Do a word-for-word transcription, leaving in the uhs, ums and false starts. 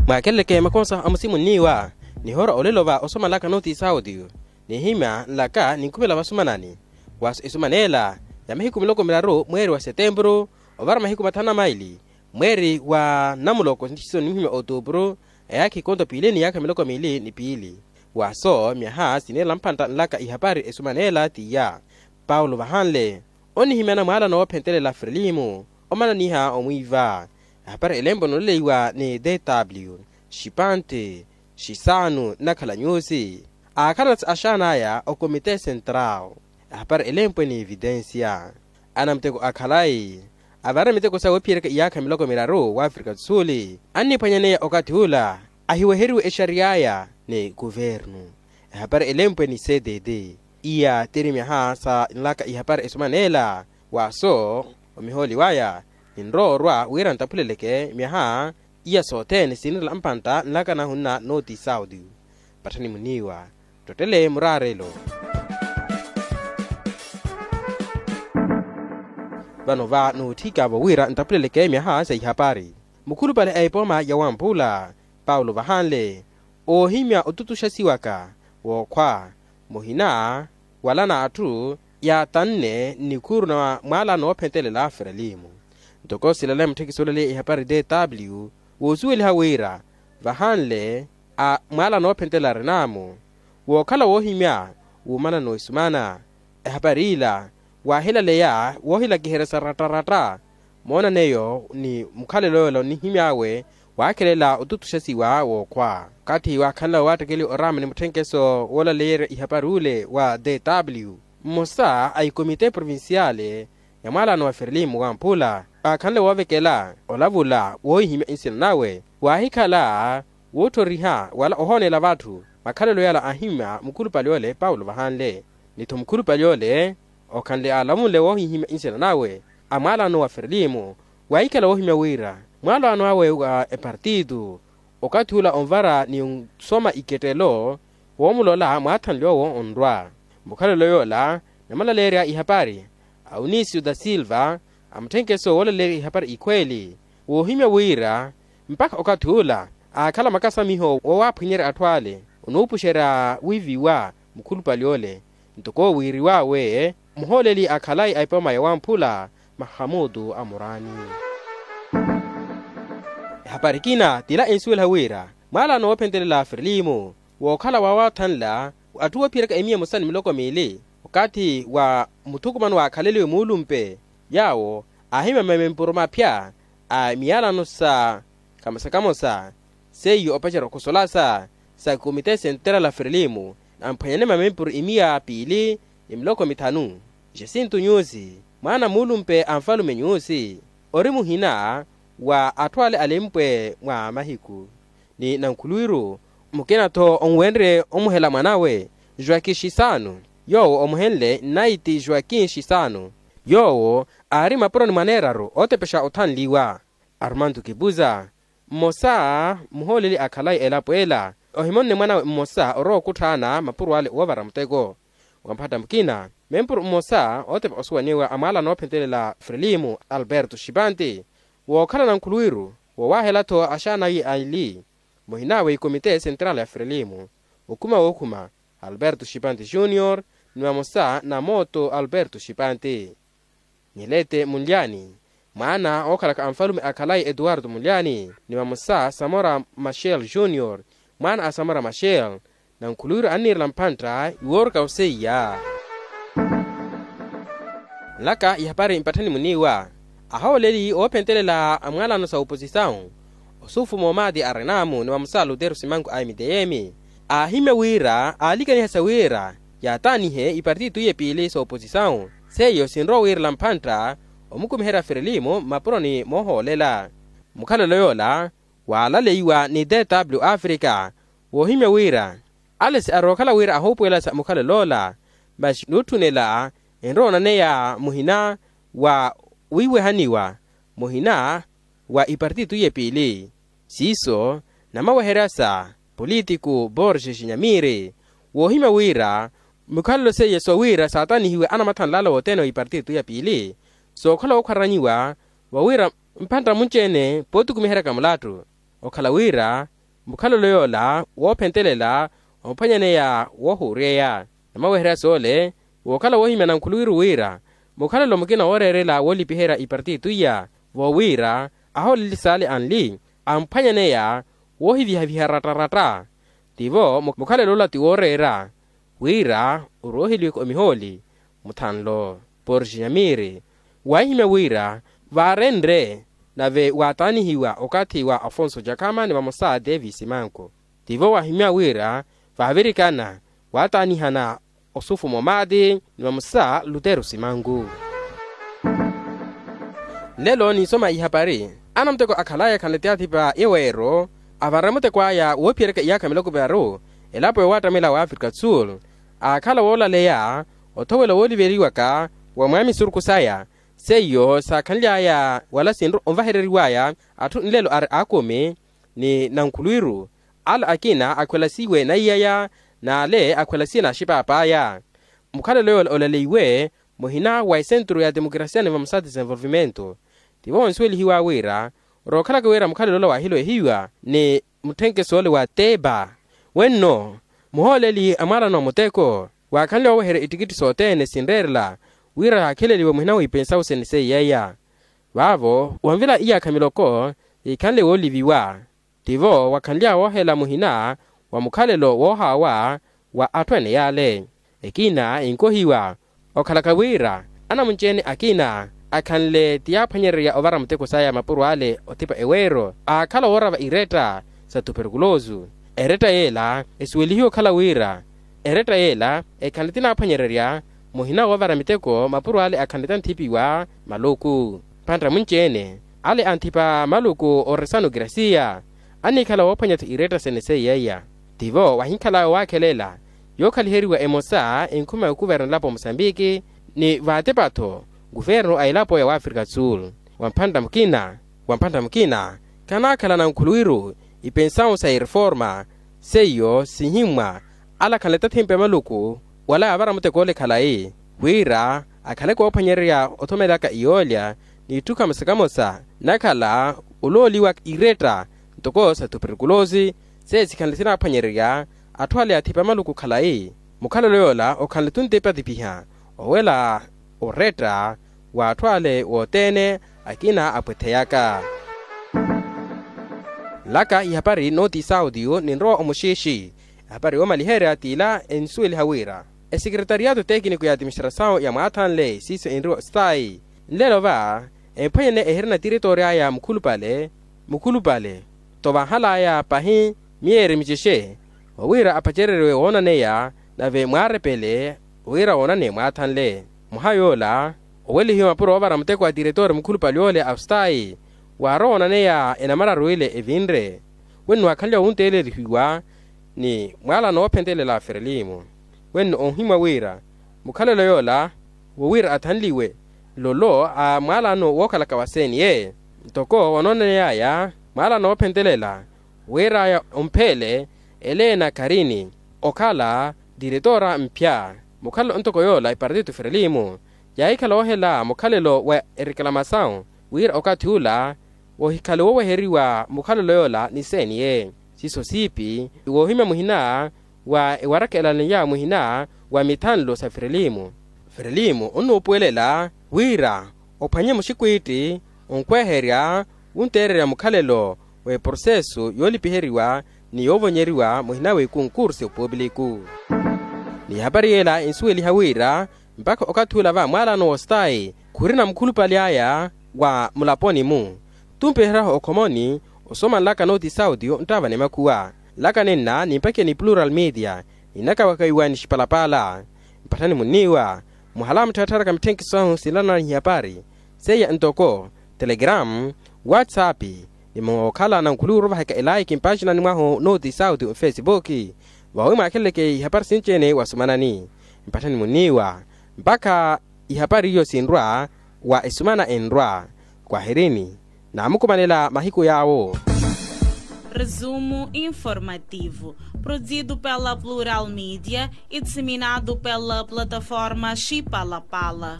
Mwaakeleleke makonsa amusimunniwa nihoora olelo va osoma nlaka nooti saudio, nihimya nlaka ninkhumela vasumanani. Waaso esumana ela ya mahiku miloko miraru mweeri wa setempuru ovara mahiku mathanu na maili mweeri wa namuloko ntixiso ninhimya otuupuru, eyaakha ikonto piili ni yaakha miloko miili ni piili. Waaso myaha siniirela mphantta nlaka ihapari esumana ela tiya. Paulo vahanle onihimyana mwaalano woophentelela frilimu omananiha omwiiva. Ehapari elempwe nooleleiwa ni dw, xipante, xisaanu nnakhala nyuusi aakhalanatsi axaan'aya okomite sentrau. Ehapari elempwe ni evitensia anamuteko akhalayi avara miteko sawe ophiyereka iyaakha miloko miraru w'afrika do sul, anniphwanyaneya okathi ula ahiweheriwe exariy'aya ni kuvernu. Ehapari elempwe ni cdd. Iya tiri myaha sa nlaka ihapari esumana ela. Waaso omihooli waya ninrowa orwa wira ntaphuleleke myaha iya sothene sinirela mpantta nlaka nahunna nooti saudio. Patthani muniiwa ttottele muraarelo. Vano va nootthikavo wira ntaphuleleke myaha sa ihapari mukhulupale a epooma ya wamphula paulo vahanle oohimya otutuxasiwaka wookhwa muhina wala n'atthu yaatanne nnikhuuru na mwaalano woophentelela frelimu. Ntoko silale mutthekisi olaleya ihapari dw woosuweliha wira vahanle a mwaalano woophentelela renamu wookhala woohimya wuumanano esumana. Ehapari ila waahilaleya woohilakiherya sa ratta-ratta. Moonaneyo ni mukhalelo yoola onihimy'awe waakhelela otutuxasiwa wookhwa okathi waakhanla waattekeliwa oraama ni mutthenkeso woolaleyerya ihapari ule wa dw mmosa a ikomite provinciale ya mwaalano wa ferlimu wamphula aakhanle woovekela olavula woohihimya nsina nawe waahikhala wootthoriha wala ohoonela vatthu. Makhalelo yala aahimya mukhulupale ole paulo vahanle ni-tho mukhulupale ole okhanle aalavunle woohihimya nsina nawe a mwaalano wa ferlimu waahikhala woohimya wira mwaalano awe wa epartitu okathi ula onvara ni onsoma ikettelo woomulola mwaathanle owo onrwa. Mukhalelo yoola namulaleerya ihapari a onisio da silva a mutthenkeso woolaleerya ihapari ikhweeli woohimya wira mpakha okathi ula aakhala makasamiho woowaphwinyerya atthu ale onuupuxerya wiiviwa mukhulupale ole. Ntoko wiiriw'awe muhooleli a khalayi a epooma ya wamphula mahamutu a muraani. Ehapari ekina tila ensuweliha wira mwaalano woophentelela ferlimu wookhala waawathanla atthu woophiyeraka emiya emosa ni miloko miili okathi wa muthukumano waakhaleliwe muulumpe yaawo aahimya mamempuru maphya a miyalano sa kamosa-kamosa seiyo opacerya okhusolasa sa komite senterala ferlimu amphwanyane mamempuru imiya piili ni miloko mithanu. Jacinto nyusi mwaana muulumpe a nfalume nyusi ori muhina wa atthu ale alempwe mwa mahiku ni nankhulwiru mukina-tho onwenrye omuhela mwanawe joaquin xisano yoowo omuhenle nnaiti joaquin xisano yoowo aari mapuroni mwaneeraru ootepexa othanliwa. Armando kipuza mmosa muhooleli a khalayi elapo ela ohimonne mwanawe mmosa orowa okutthaana mapuro ale woovara muteko. Wamphatta mukina mempuro mmosa ootepa osuwaniwa a mwaalano oophentelela frelimu alberto xipante wookhala nankhulwiru woowahela-tho axaana aye aili muhina wa ikomite senterala ya frelimu okhuma wookhuma alberto xipante junior ni vamosa na mooto alberto xipante. Nyelete munlyani mwaana ookhalaka anfalume a khalayi etuwarto munlyani ni vamosa samora machel junior mwaana a samora machel nankhuluwiru anniirela mphantta iwooruka oseiya. Nlaka ihapari mpatthani muniiwa ahooleli oophentelela a mwaalano sa oposisawu osufu moomati a renamu ni vamosa lutero simanku a mtm aahimya wira aalikaniha sa wira yaataanihe ipartitu iye piili sa oposisawu seiyo sinrowa wiirela mphantta omukumiherya ferelimu mmapuroni moohoolela. Mukhalelo yoola waalaleiwa ni dw africa woohimya wira ale si arookhala wira ahoopuwelasa mukhalelo ola masi nuutthunela enrowa onaneya muhina wa wiiwehaniwa muhina wa ipartitu iye piili siiso namaweheryasa politiku borges nyamiri woohimya wira mukhalelo seiye sowira saatanihiwe anamathanlala wothene wa ipartitu ya piili sookhala wookhwaranyiwa wawira mphantta munci-ene pootukumiheryaka mulattu okhala wira mukhalelo yoola woophentelela omphwanyaneya woohuuryeya. Namaweherya soole wookhala woohimya nankhuluwiru wira mukhalelo mukina wooreerela woolipiherya ipartitu iya voowiira ahooleli saali anli amphwanyaneya woohivihaviha rattaratta. Tivo mukhalelo ola ti wooreera wira orooheliweke omihooli muthanlo porxi nyamiiri waahihimya wira vaarenre nave waataanihiwa okathi wa afonso jakama ni vamosa davis manku. Tivo waahimya wira vaavirikana waataanihana osufu momaati ni vamosa lutero simanku. Nlelo ninsoma ihapari anamuteko akhalaya khanle ti athipa yeweero avanre muteko aya woophiyeryaka iyaakha miloko viraru elapo yowattamela wa afrika do sul aakhala woolaleya othowela wooliveriwaka wa mwaamisurukhu saya seiyo saakhanly'aya wala sinru onvahereriw'aya atthu nlelo ari aakumi ni nankhuluwiru ale akina akhwelasiwe naiyaya n'ale akhwelasiwe n'axipaap'aya. Mukhalelo yoola olaleiwe muhina wa esentru ya temokrasia ni vamosa desenvolvimento. Tivo onsuwelihiwa wira rookhalaka wira mukhalelo ola waahiloihiwa ni mutthenkeso ole wa teba wenno muhooleli a mwaalano a muteko waakhanle wooweherya ittikitti sothene sinreerela wira yaakheleliwe muhina w'ipensawu sene seiy'eya. Vaavo wanvila iyaakha miloko yiikhanle wooliviwa tivo wakhanly'awe woohela muhina wa mukhalelo woohaawa wa atthu ene yaale. Ekina enkohiwa okhalaka wira anamunci-ene akina akhanle ti yaaphwanyererya ovara muteko saya mapuro ale othipa eweero aakhala woorava iretta sa tuperkulosu. Eretta yeela esuwelihiwe okhala wira eretta yeela ekhanle ti naaphwanyererya muhina woovara miteko mapuro ale akhanle ti anthipiwa maluku. Mpantta munci-ene ale anthipa maluku ooresana okirasiya annikhala woophwanya-tho iretta sene seiy'eya. Tivo wahinkhal'awe waakhelela yookhaliheriwa emosa enkhuma ya okuverna elapo ya mosambiki ni vaatepa-tho nkuverno a elapo ya wafrika do sul. Wa mphantta mukina wa mphantta mukina khanaakhala nankhuluwiru ipensawu sa ireforma seiyo sihimmwa alakhanle tathimpe maluku wala yaavara muteko ole khalayi wira akhale koophwanyererya othomelaka iyoolya n'itthu kamosa kamosa nakhala olooliwa iretta ntoko sa tuperkulosi seisikhanle sinaaphwanyererya atthu ale athipa maluku khalayi. Mukhalelo yoola okhanle tuntepa tipiha owela oretta w'atthu ale wothene akina apwetheyaka. Nlaka ihapari nooti sautiyo ninrowa omuxiixi. Ehapari yoomaliherya t'ila ensuweliha wira esekeretariyaato tekiniko ya atiministrasawu ya mwaathanle siiso enriwa ostayi nlelo va emphwanyene ehirina tiritoori aya mukhulupale mukhulupale to vanhal'aya pahi miyeeri micexe wawira apacereriwe woonaneya nave mwaarepele wira woonane mwaathanle. Mwaha yoola owelihiwe mapuro oovara muteko wa tiretoori mukhulupale ole a ustayi waarowa woonaneya enamararu ile evinre wenno waakhanle wowunteelelihiwa ni mwaalano woophentelela a ferelimu wenno onhimwa wira mukhalelo yoola wowira athanliwe lolo a mwaalano wookhalaka wa cne ntoko wanoonaney'aya mwaalano woophentelela wir'aya ompheele eleena karini okhala tiretora mphya. Mukhalelo ntoko yoola epartito ferelimu yaahikhala woohela mukhalelo wa ereklamasawu wira okathi ula wohikhale wooweheriwa mukhalelo yoola ni cne siiso siipi woohimya muhina wa ewarakhelanlya muhina wa mithanlo sa ferelimu. Ferelimu onnuupuwelela wira ophwanye muxikwiitti onkweherya wunteererya mukhalelo w'eprosesu yoolipiheriwa ni yoovonyeriwa muhina w'ikunkursu pupiliku. Ni ehapari yeela ensuweliha wira mpakha okathi ula va mwaalano w'ostayi khurina mukhulupale aya wa mulaponi-mu. Tumpiheryahu okhomoni osomanlaka nooti sauti nttaavana emakhuwa nlaka nenna nimpakiye ni plural media ninakawakawiwa ni xipalapala. Mpatthani munniiwa muhala muttharatharaka mitthenkiso ahu sinlanana ni hiyapari seiya ntoko telegram, whatsapp ni mookhala nankhuluwiru ovahaka elaiki mpaaxinani mwahu nooti sauti ofesipuki vawi mwaakheleleke ihapari sinci-ene wasumanani. Mpatthani munniiwa mpakha ihapari iyo sinrwa wa esumana enrwa. Kwahirini naamukumanela mahiku yaawo. Resumo informativo, produzido pela plural media e disseminado pela plataforma xipalapala.